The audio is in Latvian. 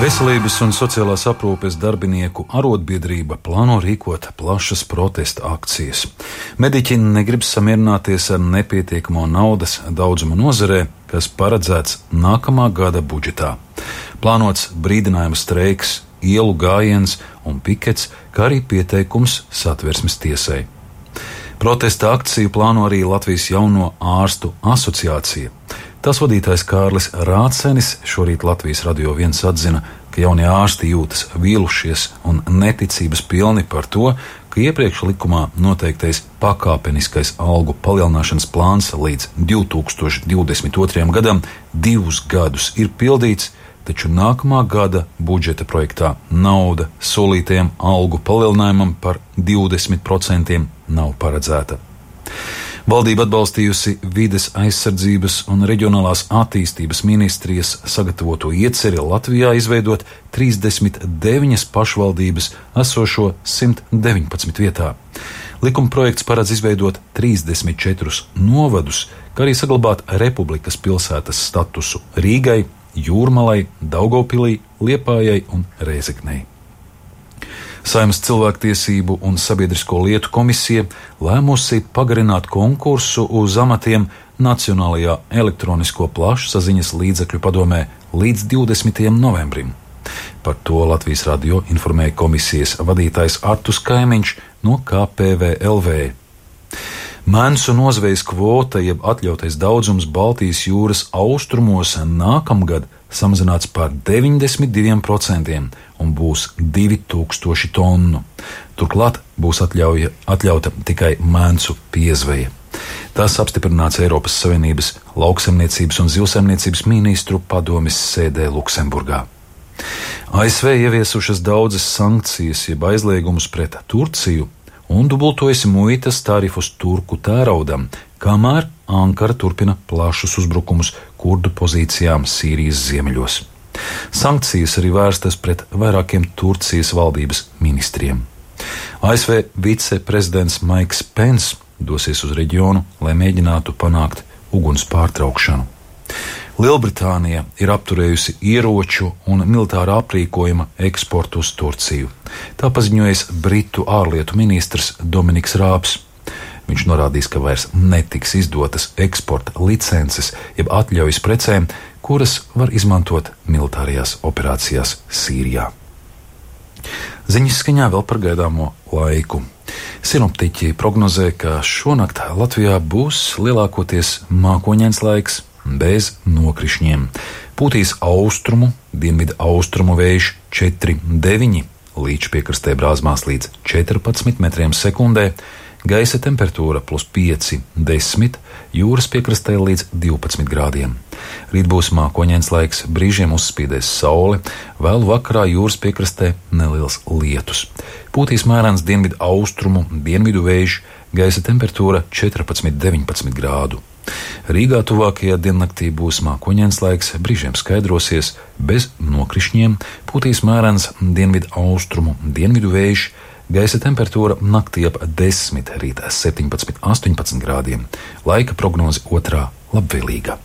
Veselības un sociālās aprūpes darbinieku arotbiedrība plāno rīkot plašas protesta akcijas. Mediķi negrib samierināties ar nepietiekamo naudas daudzumu nozarē, kas paredzēts nākamā gada budžetā. Plānots brīdinājuma streiks, ielu gājiens un pikets, kā arī pieteikums Satversmes tiesai. Protesta akciju plāno arī Latvijas Jauno ārstu asociācija. Tās vadītājs Kārlis Rācenis šorīt Latvijas Radio 1 atzina, ka jaunie ārsti jūtas vīlušies un neticības pilni par to, ka iepriekš likumā noteiktais pakāpeniskais algu palielināšanas plāns līdz 2022. gadam 2 gadus ir pildīts, taču nākamā gada budžeta projektā nauda solītajam algu palielinājumam par 20% nav paredzēta. Valdība atbalstījusi Vides aizsardzības un reģionālās attīstības ministrijas sagatavoto ieceri Latvijā izveidot 39 pašvaldības esošo 119 vietā. Likuma projekts paredz izveidot 34 novadus, kā arī saglabāt Republikas pilsētas statusu Rīgai, Jūrmalai, Daugavpilī, Liepājai un Rēzeknei. Saeimas cilvēktiesību un sabiedrisko lietu komisija lēmusi pagarināt konkursu uz amatiem Nacionālajā elektronisko plašsaziņas līdzekļu padomē līdz 20. novembrim. Par to Latvijas radio informēja komisijas vadītājs Artus Kaimiņš no KPVLV. Mēnsu nozvejas kvota, jeb atļautais daudzums Baltijas jūras austrumos nākamgad samazināts par 92% un būs 2000 tonu. Turklāt būs atļauta tikai mēnsu piezveja. Tas apstiprināts Eiropas Savienības lauksaimniecības un zivsaimniecības ministru padomes sēdē Luksemburgā. ASV ieviesušas daudzas sankcijas, jeb aizliegumus pret Turciju, un dubultojas muitas tarifus turku tēraudam, kamēr Ankara turpina plašus uzbrukumus kurdu pozīcijām Sīrijas ziemeļos. Sankcijas arī vērstas pret vairākiem Turcijas valdības ministriem. ASV viceprezidents Maiks Pence dosies uz reģionu, lai mēģinātu panākt uguns pārtraukšanu. Lielbritānija ir apturējusi ieroču un militārā aprīkojuma eksportu uz Turciju. Tā paziņojis Britu ārlietu ministrs Dominiks Rābs. Viņš norādījis, ka vairs netiks izdotas eksporta licences, jeb atļaujas precēm, kuras var izmantot militārajās operācijās Sīrijā. Ziņas skaņā vēl par gaidāmo laiku. Sinoptiķi prognozē, ka šonakt Latvijā būs lielākoties mākoņains laiks, bez nokrišņiem. Pūtīs austrumu, dienvidu austrumu vējš 4,9, līdz piekrastē brāzmās līdz 14 metriem sekundē, gaisa temperatūra +5, 10, jūras piekrastē līdz 12 grādiem. Rīt būs mākoņains laiks, brīžiem uzspīdēs saule, vēlu vakarā jūras piekrastē neliels lietus. Pūtīs mērens dienvidu austrumu, dienvidu vējš, gaisa temperatūra 14-19 grādu. Rīgā tuvākajā diennaktī būs mākoņains laiks, brīžiem skaidrosies, bez nokrišņiem, pūtīs mērens dienvidu austrumu, dienvidu vējš, gaisa temperatūra naktī ap 10, rītā 17-18 grādiem. Laika prognoze otrā labvēlīga.